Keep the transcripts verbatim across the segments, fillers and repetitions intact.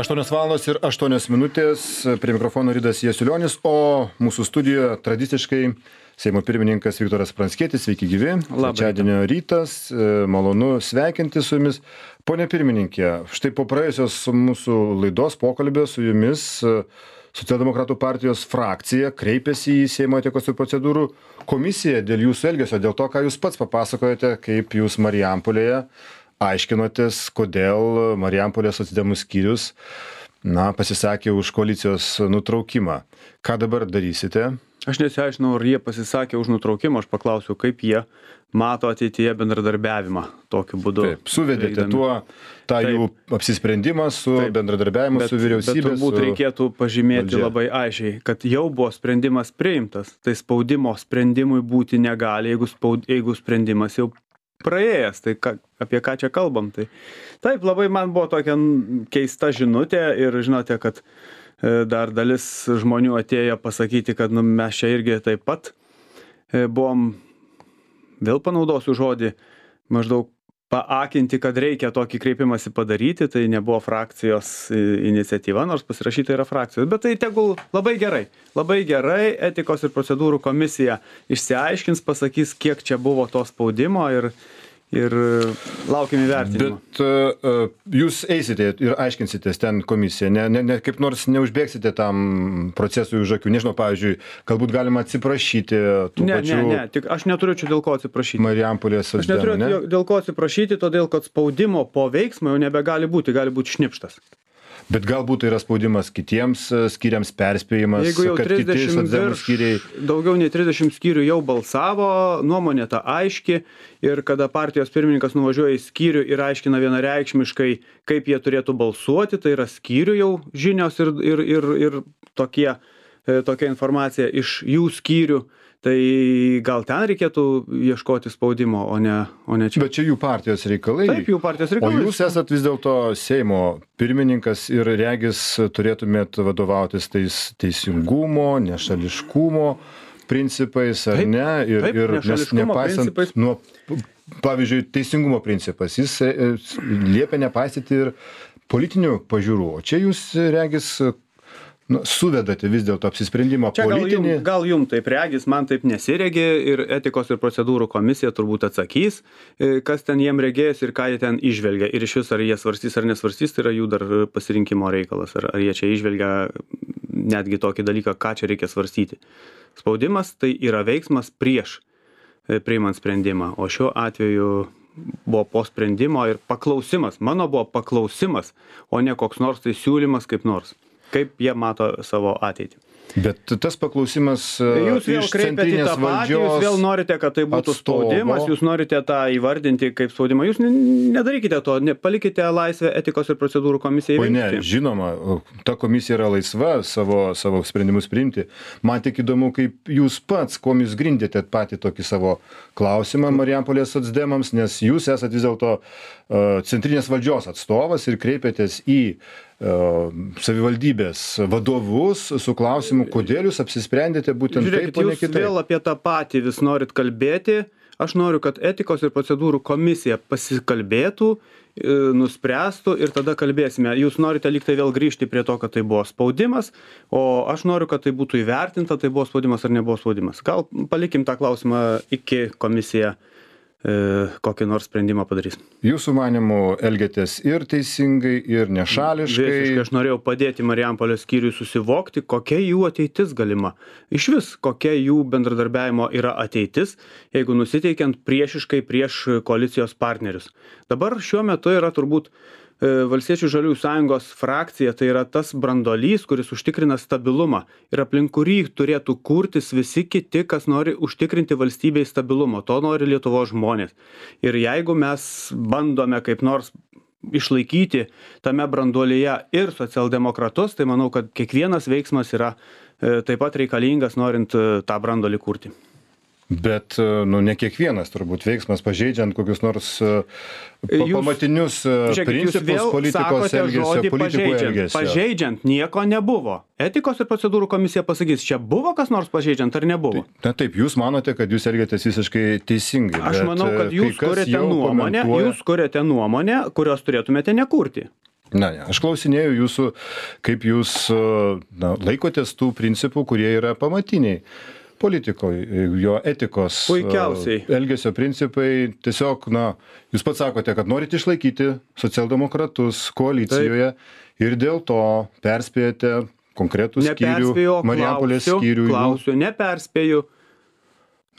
aštuonios valandos ir aštuonios minutės, prie mikrofono Ridas Jasiulionis, o mūsų studijoje tradiciškai Seimo pirmininkas Viktoras Pranckietis. Sveiki gyvi. Trečiadienio rytas, malonu sveikinti su jumis. Pone pirmininkė, štai po praėjusios mūsų laidos pokalbio su jumis Socialdemokratų partijos frakcija kreipėsi į Seimo etikos ir procedūrų komisiją dėl jūsų elgesio, dėl to, ką jūs pats papasakojate, kaip jūs Marijampolėje aiškinotės, kodėl Marijampolės socdemų skyrius na, pasisakė už koalicijos nutraukimą. Ką dabar darysite? Aš nesiaiškinau, ar jie pasisakė už nutraukimą, aš paklausiau, kaip jie mato ateityje bendradarbiavimą tokiu būdu. Taip, suvedėte tuo tą Taip. jų apsisprendimą su Taip. bendradarbiavimu Bet, su vyriausybė. bet turbūt su... reikėtų pažymėti valdžia. labai aiškiai, kad jau buvo sprendimas priimtas, tai spaudimo sprendimui būti negali, jeigu, spaud, jeigu sprendimas jau praėjęs, tai ką, apie ką čia kalbam. Tai taip, labai man buvo tokia keista žinutė ir žinote, kad dar dalis žmonių atėjo pasakyti, kad nu, mes čia irgi taip pat buvom, vėl panaudosiu žodį, maždaug paakinti, kad reikia tokį kreipimąsi padaryti, tai nebuvo frakcijos iniciatyva, nors pasirašyta yra frakcijos, bet tai tegul labai gerai, labai gerai etikos ir procedūrų komisija išsiaiškins, pasakys, kiek čia buvo to spaudimo ir ir laukiam įvertinimo. Bet uh, jūs eisite ir aiškinsitės ten komisiją, ne, ne, ne, kaip nors neužbėgsite tam procesui už akių. Nežinau, pavyzdžiui, galbūt galima atsiprašyti tų ne, pačių... Ne, ne, tik aš neturiu čia dėl ko atsiprašyti. Marijampolės Aš neturiu socdemų, ne? dėl ko atsiprašyti, todėl kad spaudimo po veiksmo jau nebegali būti, gali būti šnipštas. Bet galbūt tai yra spaudimas kitiems skyriams, perspėjimas, Jeigu jau kad kiti trisdešimt socdemų virš, skyriai... daugiau nei trisdešimt skyrių jau balsavo, nuomonė ta aiški ir kada partijos pirmininkas nuvažiuoja į skyrių ir aiškina vienareikšmiškai, kaip jie turėtų balsuoti, tai yra skyrių jau žinios ir, ir, ir, ir tokie, tokia informacija iš jų skyrių. Tai gal ten reikėtų ieškoti spaudimo, o ne, o ne čia. Bet čia jų partijos reikalai. Taip, jų partijos reikalai. O jūs esat vis dėlto Seimo pirmininkas ir regis turėtumėt vadovautis tais teisingumo, nešališkumo principais, ar Taip, ne? Ir, taip, ir nes nepaisant principais. nuo, pavyzdžiui, teisingumo principas, jis e, liepia nepaisyti ir politinių pažiūrų. O čia jūs regis... Nu, suvedate vis dėlto apsisprendimą čia politinį. Gal jum, gal jum taip regis, man taip nesiregi ir etikos ir procedūrų komisija turbūt atsakys, kas ten jiem regės ir ką jie ten išvelgia. Ir iš vis ar jie svarstys ar nesvarstys, tai yra jų dar pasirinkimo reikalas. Ar, ar jie čia išvelgia netgi tokį dalyką, ką čia reikia svarstyti. Spaudimas tai yra veiksmas prieš priimant sprendimą, o šiuo atveju buvo po sprendimo ir paklausimas. Mano buvo paklausimas, o ne koks nors tai siūlymas kaip nors. Kaip jie mato savo ateitį. Bet tas paklausimas jūs vėl iš kreipiat į tą patį, jūs vėl norite, kad tai būtų atstovo. spaudimas, jūs norite tą įvardinti kaip spaudimą. Jūs nedarykite to, ne, palikite laisvę etikos ir procedūrų komisijai. O ne, žinoma, ta komisija yra laisva savo, savo sprendimus priimti. Man tik įdomu, kaip jūs pats, kuom jūs grindėte patį tokį savo klausimą Marijampolės socdemams, nes jūs esat vis dėlto uh, centrinės valdžios atstovas ir kreipėtės į savivaldybės vadovus su klausimu, kodėl jūs apsisprendėte būtent Žiūrėkit, taip, o ne jūs kitaip. Vėl apie tą patį vis norit kalbėti. Aš noriu, kad etikos ir procedūrų komisija pasikalbėtų, nuspręstų ir tada kalbėsime. Jūs norite lyg tai vėl grįžti prie to, kad tai buvo spaudimas, o aš noriu, kad tai būtų įvertinta, tai buvo spaudimas ar nebuvo spaudimas. Gal palikim tą klausimą iki komisija kokį nors sprendimą padarys. Jūsų manimų elgiatės ir teisingai, ir nešališkai. Visiškai aš norėjau padėti Marijampolės skyriui susivokti, kokia jų ateitis galima. Iš vis, kokia jų bendradarbiavimo yra ateitis, jeigu nusiteikiant priešiškai prieš koalicijos partnerius. Dabar šiuo metu yra turbūt Valstiečių žaliųjų sąjungos frakcija, tai yra tas brandolys, kuris užtikrina stabilumą ir aplink kurį turėtų kurtis visi kiti, kas nori užtikrinti valstybei stabilumo. To nori Lietuvos žmonės. Ir jeigu mes bandome kaip nors išlaikyti tame branduolyje ir socialdemokratus, tai manau, kad kiekvienas veiksmas yra taip pat reikalingas, norint tą branduolį kurti. Bet, nu, ne kiekvienas turbūt veiksmas pažeidžiant kokius nors jūs, pamatinius žiūrėkit, principus politikos elgesio, politikų elgesio. Pažeidžiant nieko nebuvo. Etikos ir procedūrų komisija pasakys, čia buvo kas nors pažeidžiant ar nebuvo? Na taip, jūs manote, kad jūs elgiatės visiškai teisingai. Aš manau, kad jūs kuriate nuomonę, komentuoja... jūs kuriate nuomonę, kurios turėtumėte nekurti. Na, ne, aš klausinėjau jūsų, kaip jūs na, laikotės tų principų, kurie yra pamatiniai politikoje, jo etikos, Puikiausiai. elgesio principai. Tiesiog, na, jūs pats sakote, kad norite išlaikyti socialdemokratus koalicijoje Taip. ir dėl to perspėjate konkretų skyrių, Marijampolės skyrių. Klausiu, neperspėju.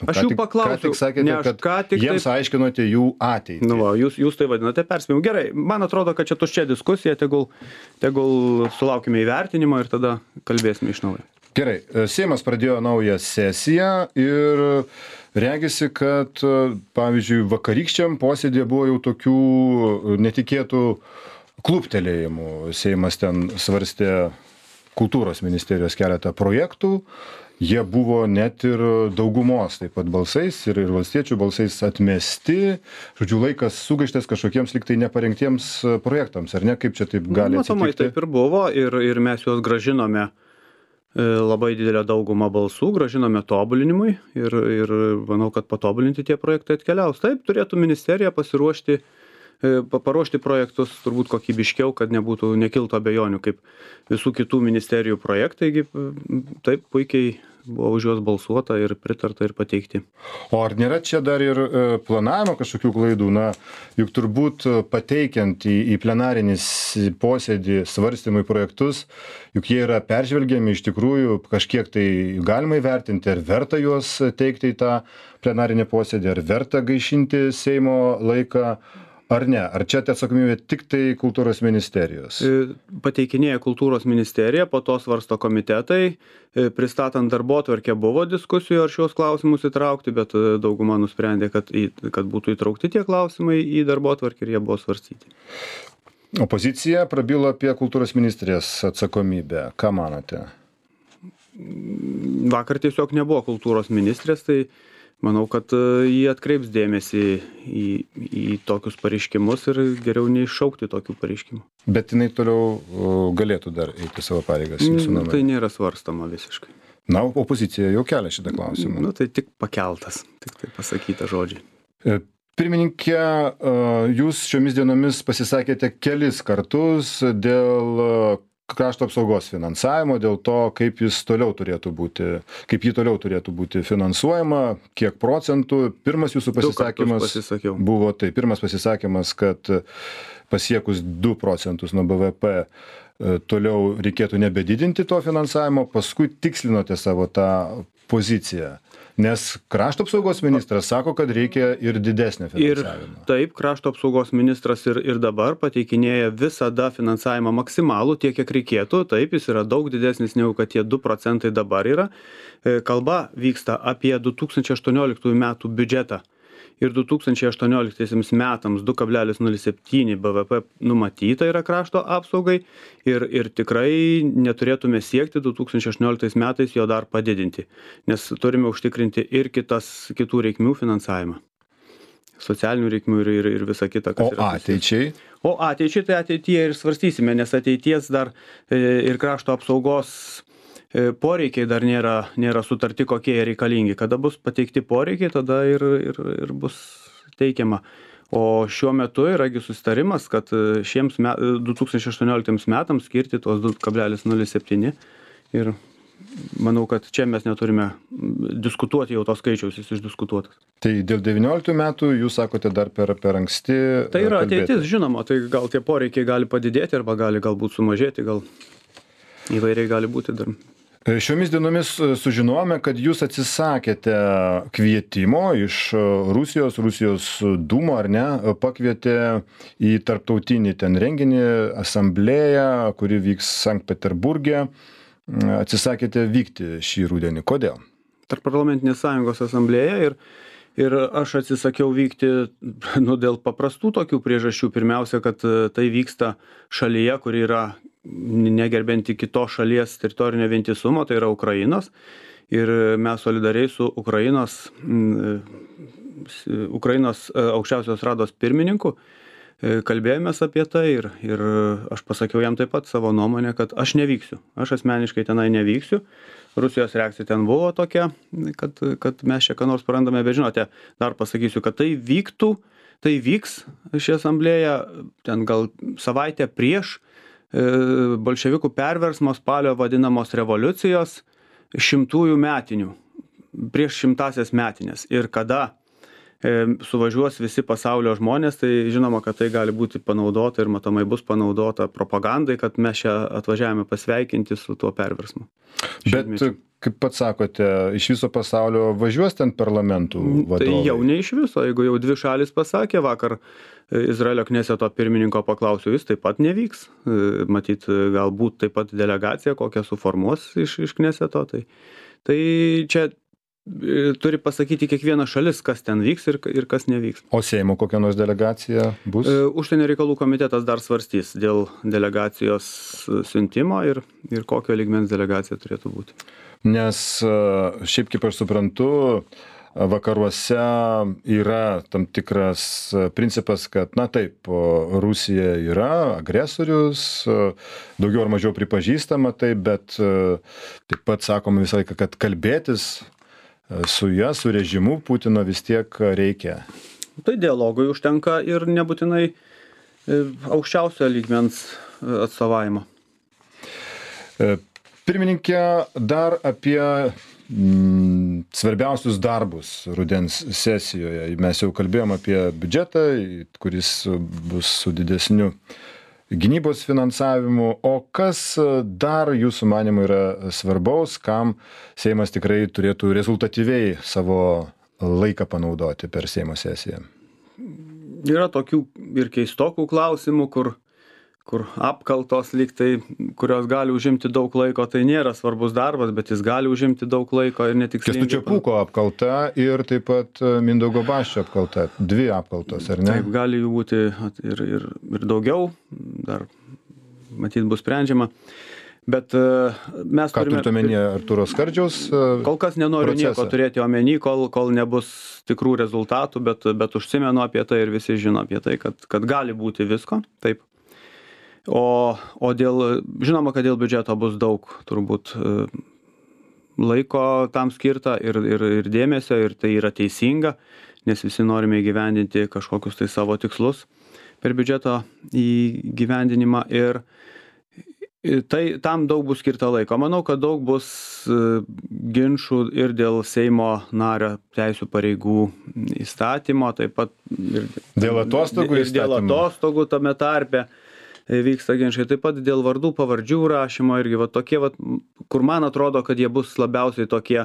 Aš jų paklausiu, ką tik sakėte, ne, kad ką tik jiems taip... aiškinote jų ateitį. Nu, va, jūs, jūs tai vadinate perspėjimu. Gerai, man atrodo, kad čia tuščia diskusija, tegul, tegul sulaukime įvertinimo ir tada kalbėsime iš naujo. Gerai, Seimas pradėjo naują sesiją ir regisi, kad, pavyzdžiui, vakarykščiam posėdėje buvo jau tokių netikėtų kluptelėjimų. Seimas ten svarstė kultūros ministerijos keletą projektų. Jie buvo net ir daugumos taip pat balsais ir, ir valstiečių balsais atmesti. Žodžiu, laikas sugaištas kažkokiems liktai neparengtiems projektams, ar ne? Kaip čia taip gali atsitikti? Matomai taip ir buvo ir, ir mes juos gražinome labai didelę daugumą balsų, gražinome tobulinimui ir, ir manau, kad patobulinti tie projektai atkeliaus. Taip, turėtų ministerija pasiruošti, paruošti projektus turbūt kokybiškiau, kad nebūtų nekiltų abejonių kaip visų kitų ministerijų projektai. Taip, puikiai buvo už juos balsuota ir pritarta ir pateikti. O ar nėra čia dar ir planavimo kažkokių klaidų? Na, juk turbūt pateikiant į, į plenarinį posėdį svarstymui projektus, juk jie yra peržvelgiami iš tikrųjų, kažkiek tai galima įvertinti, ar verta juos teikti į tą plenarinį posėdį, ar verta gaišinti Seimo laiką, ar ne? Ar čia atsakomybė tik tai kultūros ministerijos? Pateikinėja kultūros ministerija, po to svarsto komitetai. Pristatant darbotvarkę buvo diskusijų, ar šios klausimus įtraukti, bet dauguma nusprendė, kad, į, kad būtų įtraukti tie klausimai į darbotvarkę ir jie buvo svarstyti. Opozicija prabilo apie kultūros ministrės atsakomybę. Ką manote? Vakar tiesiog nebuvo kultūros ministrės, tai manau, kad jie atkreips dėmesį į, į tokius pareiškimus ir geriau neiššaukti tokių pareiškimų. Bet jinai toliau galėtų dar eiti savo pareigas jūsų nuomone? Tai nėra svarstama visiškai. Na, opozicija jau kelia šitą klausimą. Nu, tai tik pakeltas, tik tai pasakyta žodžiai. Pirmininkė, jūs šiomis dienomis pasisakėte kelis kartus dėl krašto apsaugos finansavimo, dėl to, kaip jis toliau turėtų būti, kaip jį toliau turėtų būti finansuojama, kiek procentų. Pirmas jūsų pasisakymas buvo tai, pirmas pasisakymas, kad pasiekus du procentus nuo B V P toliau reikėtų nebedidinti to finansavimo, paskui tikslinote savo tą poziciją. Nes krašto apsaugos ministras sako, kad reikia ir didesnio finansavimo. Ir taip, krašto apsaugos ministras ir, ir dabar pateikinėja visada finansavimą maksimalų, tiek, kiek reikėtų. Taip, jis yra daug didesnis negu kad tie du procentai dabar yra. Kalba vyksta apie du tūkstančiai aštuonioliktųjų metų biudžetą. Ir du tūkstančiai aštuonioliktaisiais metams du kablelis nulis septyni B V P numatyta yra krašto apsaugai ir, ir tikrai neturėtume siekti du tūkstančiai aštuonioliktais metais jo dar padidinti, nes turime užtikrinti ir kitas, kitų reikmių finansavimą. Socialinių reikmių ir, ir, ir visa kita. Kas o yra ateičiai? O ateičiai tai ateityje ir svarstysime, nes ateities dar ir krašto apsaugos poreikiai dar nėra, nėra sutarti, kokie jie reikalingi. Kada bus pateikti poreikiai, tada ir, ir, ir bus teikiama. O šiuo metu yragi susitarimas, kad šiems met, du tūkstančiai aštuonioliktiems metams skirti tuos du kablelis nulis septyni. Ir manau, kad čia mes neturime diskutuoti jau to skaičiaus, jis išdiskutuotas. Tai dėl devynioliktų metų jūs sakote dar per, per anksti. Tai yra kalbėti. Ateitis, žinoma, tai gal tie poreikiai gali padidėti arba gali galbūt sumažėti, gal įvairiai gali būti dar. Šiomis dienomis sužinojome, kad jūs atsisakėte kvietimo iš Rusijos, Rusijos dūmo, ar ne, pakvietė į tarptautinį ten renginį, asamblėją, kuri vyks Sankt Peterburge. Atsisakėte vykti šį rudenį. Kodėl? Tarpparlamentinės sąjungos asamblėja ir, ir aš atsisakiau vykti nu, dėl paprastų tokių priežasčių. Pirmiausia, kad tai vyksta šalyje, kuri yra negerbinti kitos šalies teritorinio vientisumo, tai yra Ukrainos. Ir mes solidariai su Ukrainos, Ukrainos aukščiausios rados pirmininku kalbėjomės apie tai ir, ir aš pasakiau jam taip pat savo nuomonę, kad aš nevyksiu. Aš asmeniškai tenai nevyksiu. Rusijos reakcija ten buvo tokia, kad, kad mes čia ką nors prarandame, bet žinote, dar pasakysiu, kad tai vyktų tai vyks ši asamblėja, ten gal savaitę prieš bolševikų perversmo spalio vadinamos revoliucijos šimtųjų metinių, prieš šimtasias metinės. Ir kada suvažiuos visi pasaulio žmonės, tai žinoma, kad tai gali būti panaudota ir matomai bus panaudota propagandai, kad mes čia atvažiavome pasveikinti su tuo perversmu. Bet, kaip pats sakote, iš viso pasaulio važiuos ten parlamentų vadovai? Tai jau ne iš viso, jeigu jau dvi šalis pasakė, vakar Izraelio kneseto pirmininko paklausiau, jis taip pat nevyks. Matyt, galbūt taip pat delegacija kokią suformuos iš, iš kneseto. Tai, tai čia turi pasakyti kiekviena šalis, kas ten vyks ir, ir kas nevyks. O Seimo kokia nors delegacija bus? Užsienio reikalų komitetas dar svarstys dėl delegacijos siuntimo ir, ir kokio lygmens delegacija turėtų būti. Nes šiaip kaip aš suprantu, vakaruose yra tam tikras principas, kad, na taip, Rusija yra agresorius, daugiau ar mažiau pripažįstama tai, bet taip pat sakoma visą laiką, kad kalbėtis su ja, su režimu Putino vis tiek reikia. Tai dialogui užtenka ir nebūtinai aukščiausio lygmens atstovavimo. Pirmininkė, dar apie mm, svarbiausius darbus rudens sesijoje. Mes jau kalbėjom apie biudžetą, kuris bus su didesniu gynybos finansavimu. O kas dar jūsų manymu yra svarbaus, kam Seimas tikrai turėtų rezultatyviai savo laiką panaudoti per Seimo sesiją? Yra tokių ir keistokų klausimų, kur kur apkaltos lyg tai, kurios gali užimti daug laiko, tai nėra svarbus darbas, bet jis gali užimti daug laiko ir netikslingai. Kęstučio Pūko apkalta ir taip pat Mindaugo Basčio apkalta. Dvi apkaltos, ar ne? Taip, gali jų būti ir, ir, ir daugiau, dar matyt bus sprendžiama. Bet mes Ką turime... turite omenyje Artūro Skardžiaus procesą? Kol kas nenoriu nieko turėti omeny, kol, kol nebus tikrų rezultatų, bet, bet užsimenu apie tai ir visi žino apie tai, kad, kad gali būti visko. Taip. O, o dėl, žinoma, kad dėl biudžeto bus daug turbūt laiko tam skirta ir, ir, ir dėmesio, ir tai yra teisinga, nes visi norime įgyvendinti kažkokius tai savo tikslus per biudžeto įgyvendinimą ir tai, tam daug bus skirta laiko. Manau, kad daug bus ginčų ir dėl Seimo nario teisių pareigų įstatymo, taip pat ir dėl atostogų ir dėl atostogų tame tarpe vyksta ginčai, taip pat dėl vardų pavardžių rašymo irgi va tokie, va, kur man atrodo, kad jie bus labiausiai tokie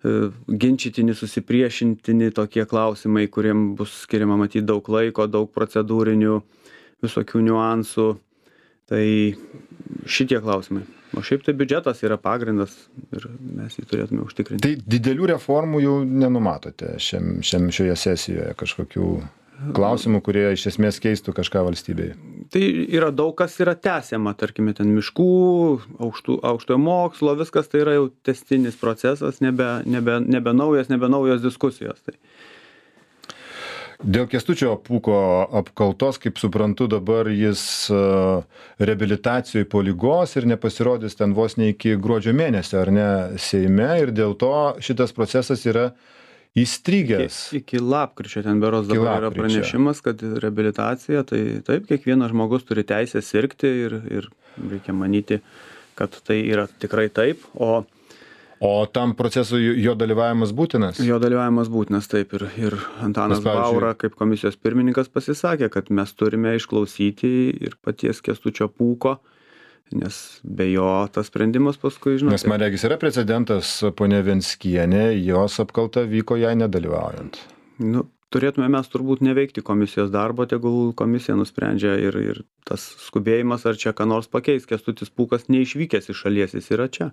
ginčytini, susipriešintini tokie klausimai, kuriem bus skiriama matyti daug laiko, daug procedūrinių visokių niuansų. Tai šitie klausimai. O šiaip tai biudžetas yra pagrindas ir mes jį turėtume užtikrinti. Tai didelių reformų jau nenumatote šiam, šiam, šioje sesijoje kažkokių klausimų, kurie iš esmės keistų kažką valstybėje? Tai yra daug kas yra tęsiama, tarkime, ten miškų, aukštų, aukštojo mokslo, viskas tai yra jau tęstinis procesas, nebe, nebe, nebe naujas, nebe naujos diskusijos. Tai. Dėl Kęstučio Pūko apkaltos, kaip suprantu, dabar jis reabilitacijoje po ligos ir nepasirodys ten vos ne iki gruodžio mėnesio, ar ne, Seime, ir dėl to šitas procesas yra įstrigęs. Iki, iki lapkričio ten beros dabar yra pranešimas, kad reabilitacija, tai taip, kiekvienas žmogus turi teisę sirgti ir, ir reikia manyti, kad tai yra tikrai taip. O, o tam procesui jo dalyvavimas būtinas? Jo dalyvavimas būtinas, taip. Ir, ir Antanas Nes, Baura, kaip komisijos pirmininkas, pasisakė, kad mes turime išklausyti ir paties Kęstučio Pūko, nes be jo tas sprendimas paskui, žinote. Nes man regis yra precedentas, ponia Venckienė, jos apkalta vyko jai nedalyvaujant. Nu, turėtume mes turbūt neveikti komisijos darbo, tegul komisija nusprendžia ir, ir tas skubėjimas, ar čia ką nors pakeis. Kęstutis Pūkas neišvykęs iš šalies, jis yra čia.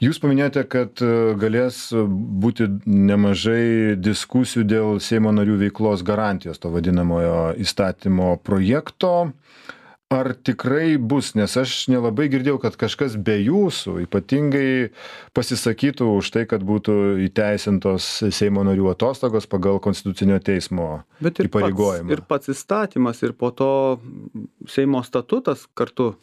Jūs paminėjote, kad galės būti nemažai diskusijų dėl Seimo narių veiklos garantijos, to vadinamojo įstatymo projekto. Ar tikrai bus, nes aš nelabai girdėjau, kad kažkas be jūsų ypatingai pasisakytų už tai, kad būtų įteisintos Seimo narių atostogos pagal Konstitucinio teismo įpareigojimą. Ir pats įstatymas, ir po to Seimo statutas kartu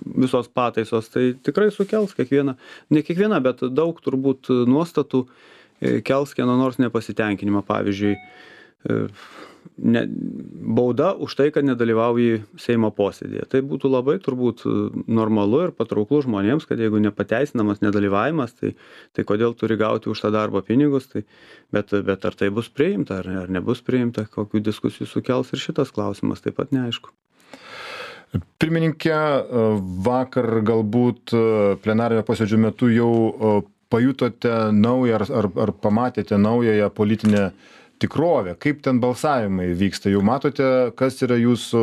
visos pataisos, tai tikrai sukels kiekvieną, ne kiekvieną, bet daug turbūt nuostatų kels kieno nors nepasitenkinimą. Pavyzdžiui, ne, bauda už tai, kad nedalyvauji Seimo posėdėje. Tai būtų labai turbūt normalu ir patrauklu žmonėms, kad jeigu nepateisinamas nedalyvavimas, tai, tai kodėl turi gauti už tą darbą pinigus, tai, bet, bet ar tai bus priimta, ar, ar nebus priimta, kokių diskusijų sukels ir šitas klausimas taip pat neaišku. Pirmininkė, vakar galbūt plenarinio posėdžio metu jau pajutote naują ar, ar, ar pamatėte naująją politinę tikrovę, kaip ten balsavimai vyksta, jau matote, kas yra jūsų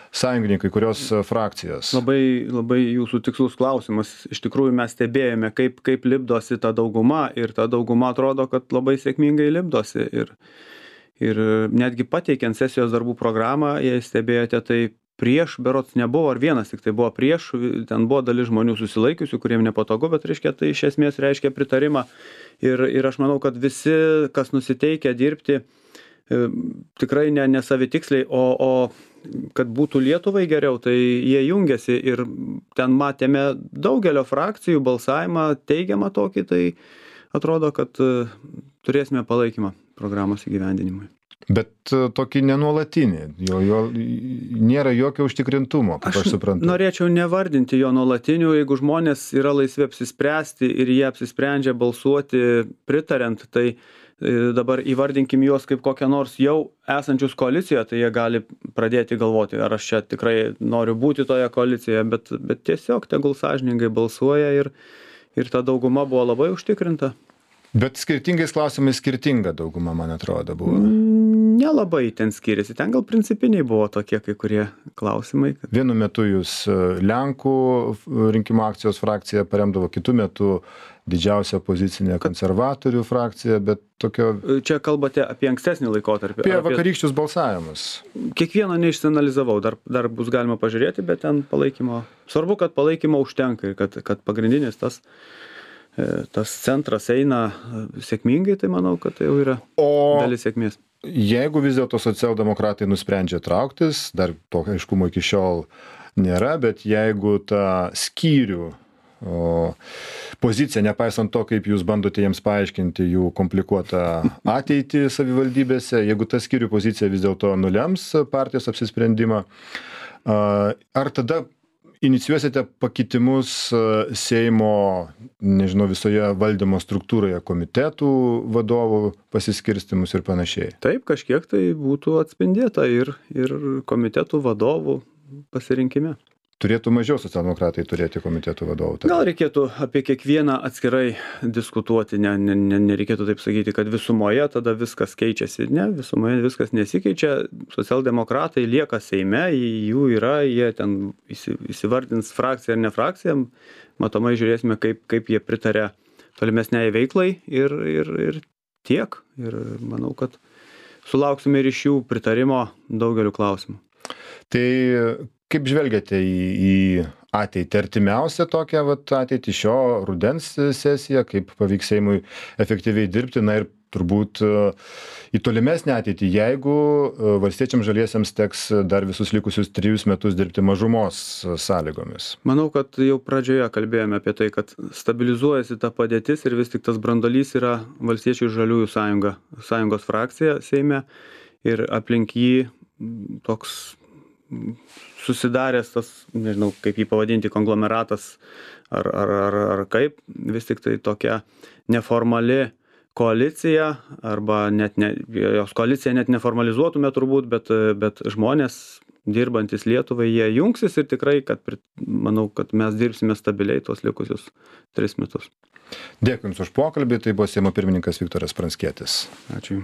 sąjungininkai, kurios frakcijos? Labai, labai jūsų tikslus klausimas. Iš tikrųjų mes stebėjome, kaip, kaip lipdosi ta dauguma ir ta dauguma atrodo, kad labai sėkmingai lipdosi. Ir, ir netgi pateikiant sesijos darbų programą, jei stebėjote, tai prieš berods nebuvo, ar vienas tik tai buvo prieš, ten buvo dalis žmonių susilaikiusių, kuriem nepatogu, bet reiškia, tai iš esmės reiškia pritarimą. Ir, ir aš manau, kad visi, kas nusiteikia dirbti, e, tikrai ne, ne savitiksliai, o, o kad būtų Lietuvai geriau, tai jie jungiasi ir ten matėme daugelio frakcijų balsavimą teigiamą tokį, tai atrodo, kad e, turėsime palaikymą programos įgyvendinimui. Bet tokį nenuolatinį, jo, jo, nėra jokio užtikrintumo, kaip aš, aš suprantu. Norėčiau nevardinti jo nuolatinių, jeigu žmonės yra laisvi apsispręsti ir jie apsisprendžia balsuoti pritariant, tai dabar įvardinkim juos kaip kokią nors jau esančius koalicijoje, tai jie gali pradėti galvoti, ar aš čia tikrai noriu būti toje koalicijoje, bet, bet tiesiog tegul sąžiningai balsuoja ir, ir ta dauguma buvo labai užtikrinta. Bet skirtingais klausimais skirtinga dauguma, man atrodo, buvo. Nelabai ten skiriasi. Ten gal principiniai buvo tokie kai kurie klausimai. Kad... Vienu metu jūs Lenkų rinkimų akcijos frakciją paremdavo, kitu metu didžiausia opozicinė konservatorių frakcija, bet tokio... Čia kalbate apie ankstesnį laikotarpį. Apie vakarykščius balsavimus. Kiekvieno neišsianalizavau, dar, dar bus galima pažiūrėti, bet ten palaikymo... Svarbu, kad palaikymo užtenka ir kad, kad pagrindinis tas... tas centras eina sėkmingai, tai manau, kad tai jau yra o dalis sėkmės. Jeigu vis dėlto socialdemokratai nusprendžia trauktis, dar to aiškumo iki šiol nėra, bet jeigu tą skyrių o, poziciją, nepaisant to, kaip jūs bandote jiems paaiškinti jų komplikuotą ateitį savivaldybėse, jeigu ta skyrių pozicija vis dėlto nulems partijos apsisprendimą, ar tada inicijuosite pakitimus Seimo, nežinau, visoje valdymo struktūroje, komitetų vadovų pasiskirstimus ir panašiai? Taip, kažkiek tai būtų atspindėta ir, ir komitetų vadovų pasirinkime. Turėtų mažiau socialdemokratai turėti komitetų vadovų. Tada. Gal reikėtų apie kiekvieną atskirai diskutuoti, ne, ne, ne, nereikėtų taip sakyti, kad visumoje tada viskas keičiasi. Ne, visumoje viskas nesikeičia, socialdemokratai lieka Seime, jų yra, jie ten įsivardins frakciją ar ne frakciją, matomai žiūrėsime, kaip, kaip jie pritarė tolimesniai veiklai ir, ir, ir tiek. Ir manau, kad sulauksime ir iš jų pritarimo daugeliu klausimų. Tai kaip žvelgiate į, į ateitį, artimiausią tokią vat, ateitį šio rudens sesiją, kaip pavyks Seimui efektyviai dirbti, na ir turbūt į tolimesnę ateitį, jeigu valstiečiams žaliesiems teks dar visus likusius trijus metus dirbti mažumos sąlygomis? Manau, kad jau pradžioje kalbėjome apie tai, kad stabilizuojasi ta padėtis ir vis tik tas brandolys yra Valstiečių ir Žaliųjų sąjunga, sąjungos frakcija Seime ir aplink jį toks susidaręs tas, nežinau, kaip jį pavadinti, konglomeratas ar, ar, ar, ar kaip, vis tik tai tokia neformali koalicija, arba net ne, jos koalicija net neformalizuotume turbūt, bet, bet žmonės dirbantis Lietuvai, jie jungsis ir tikrai, kad manau, kad mes dirbsime stabiliai tuos likusius tris metus. Dėkui Jums už pokalbį, tai buvo Seimo pirmininkas Viktoras Pranckietis. Ačiū.